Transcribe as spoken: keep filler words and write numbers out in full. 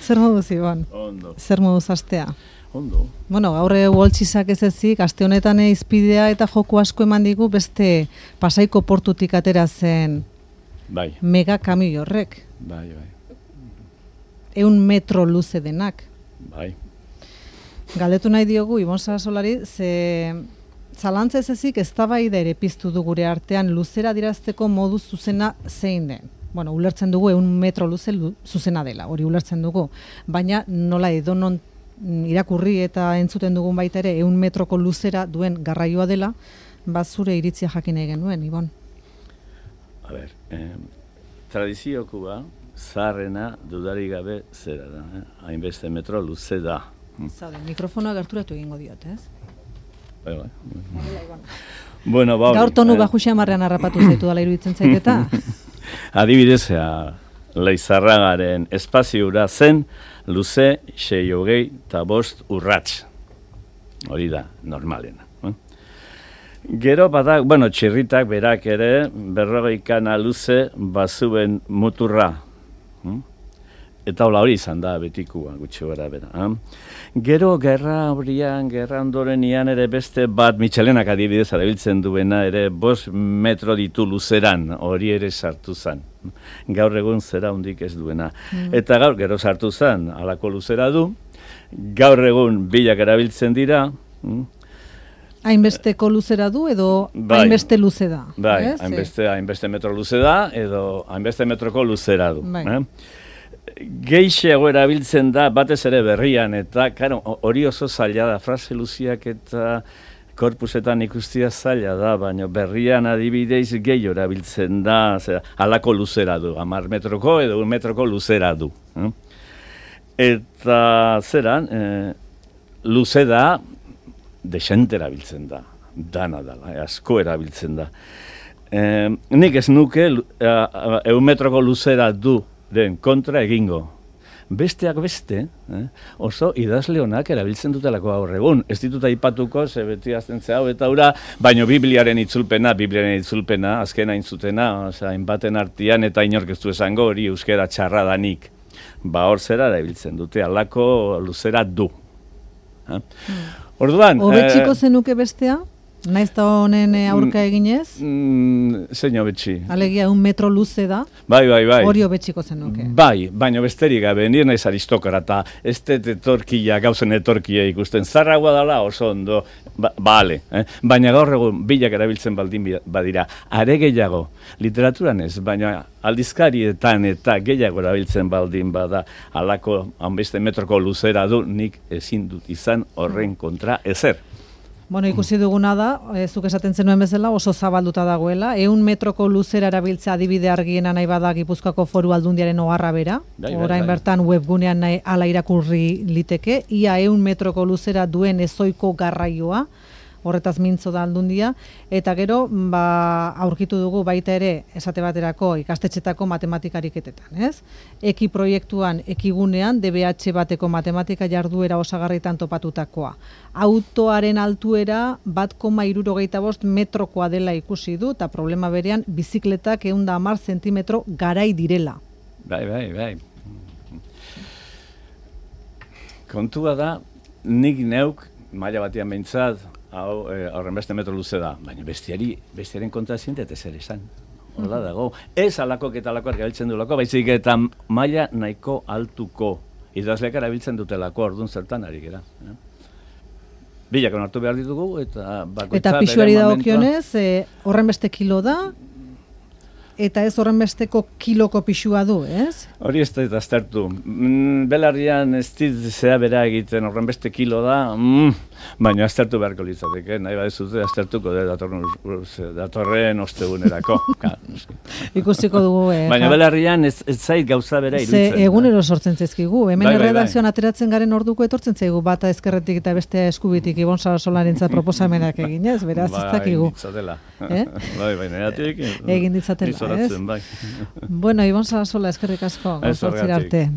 Zer moduz, Ibon? Ondo. Zer moduz astea? Ondo. Bueno, gaur uholtxizak ez ezik, aste honetan izpidea eta joko asko eman digu beste Pasaiko portutik atera zen bai. mega kamioi horrek. Bai, bai. Eun metro luze denak. Bai. Galdetu nahi diogu, Ibon Sarasolari, ze zalantza ez ezik eztabaida ere piztu du gure artean luzera adierazteko modu zuzena zein den. Bueno, ulertzen dugu eun metro luze lu, zuzena dela, hori ulertzen dugu. Baina nola edonon irakurri eta entzuten dugun baita ere eun metroko luzera duen garraioa dela, ba zure iritzia jakin nahi genuen, Ibon. A ber, eh, tradiziokoa zaharrena dudarik gabe zera da, eh? Hainbeste metro luze da. Zaude, mikrofonoa gerturatu egingo diot, ez? Bai, bai. Bueno, ba, gaur tonu eh? bajuxe amarrean harrapatu zaitu dala iruditzen zaiketa. Adibidez, Leizarragaren espaziura zen luze sei hogei eta bost urrats. Hori da, normalena. Eh? Gero badak, bueno, txirritak berak ere, berrogeikana luze bazuen muturra. Eh? Eta hola hori izan da betikua, gutxi gara bera. Eh? Gero gerra horian, gerra ondorenian ere beste bat, Michelenak adibidez arabiltzen duena ere, bost metro ditu luzeran, hori ere sartu zen. Gaur egun zera hundik ez duena. Mm. Eta gaur gero sartu zen, halako luzera du, gaur egun bilak erabiltzen dira. Mm. Hainbesteko luzera du edo bai, hainbeste luze da. Bai, ez? hainbeste, hainbeste metro luze da edo hainbeste metroko luzera du. Bai. Eh? Geixeago erabiltzen da, batez ere berrian, eta karo, hori oso zaila da, frase luziak eta korpusetan ikustia zaila da, baina berrian adibideiz gehi erabiltzen da, zera, halako luzera du, hamar metroko edo un metroko luzera du. Eh? Eta zeran, eh, luze da, desente erabiltzen da, dana da, eh, asko erabiltzen da. Eh, nik ez nuke, eh, eun metroko luzera du, den kontra egingo. Besteak beste, eh, oso idazle honak erabiltzen dutelako gaur egun. Ez ditut aipatuko, ze beti azten ze hau eta ura, baino Bibliaren itzulpena, Bibliaren itzulpena, azken hain zutena, osea, hainbaten artean eta inork ez du esango hori euskera txarra danik. Ba hor zera erabiltzen dute, halako luzera du. Eh? Hmm. Orduan... Hobetxiko eh, zenuke bestea? Naiz da honen aurka eginez? Mm, zein hobetxi? Alegia, un metro luze da? Bai, bai, bai. Hori hobetxiko zenuke? Bai, baina besterik gabe, nire naiz aristokrata, ez dut etorkia, gauzen etorkia ikusten, zarragoa dela oso ondo, ba, bale, eh? Baina gaur egun bilak erabiltzen baldin badira, are gehiago, literaturan ez, baina aldizkarietan eta gehiago erabiltzen baldin bada, halako hainbeste metroko luzera du, nik ezin dut izan horren kontra ezer. Bueno, ikusi duguna da, e, zuk esaten zenuen bezala, oso zabalduta dagoela. Eun metroko luzera erabiltzea adibide argiena nahi bada Gipuzkoako Foru Aldundiaren oharra bera. Bai, bai, orain bai. Bertan webgunean nahi ala irakurri liteke. Ia eun metroko luzera duen ezoiko garraioa, horretaz mintzo da Aldundia. Eta gero, ba, aurkitu dugu baita ere, esate baterako ikastetxetako matematikariketetan, ez? Eki proiektuan, ekigunean, D B H bateko matematika jarduera osagarritan topatutakoa. Autoaren altuera bat koma hirurogeita bost metrokoa dela ikusi du, eta problema berean bizikletak ehun eta hamar zentimetro garai direla. Bai, bai, bai. Kontua da, nik neuk, maila batian behintzat, hau horren beste metro luze da, baina bestiari, bestiaren kontra zintet ez ere esan. Hola dago, ez alakok eta alakoak erabiltzen duelako, baizik eta maila nahiko altuko idazleak erabiltzen dutelako, orduan zertan ari gera. Eh? Bilak onartu behar ditugu, eta bakoitza... Eta pisuari dagokionez, eh, horren beste kilo da, eta ez horren besteko kiloko pisua du, ez? Hori ez da aztertu. Mm, belarrian ez dit zea bera egiten horren beste kilo da, mm, baina aztertu beharko litzateke, nahi badezute aztertuko de datorren, datorren ostegunerako. Ikusiko dugu. Eh, baina belarrian ez, ez zait gauza bera iruditzen. Ze egunero sortzen zaizkigu, hemen bai, bai, erredakzioan bai. ateratzen garen orduko etortzen zaigu, bata ezkerretik eta bestea eskubitik Ibon Sarasolarentzat proposamenak eginez, beraz ez dakigu. Eh? Bai, bai, negatik. Egin ditzatela, ez? Bai. Bueno, Ibon Sarasola, eskerrik asko, gauzortzira arte.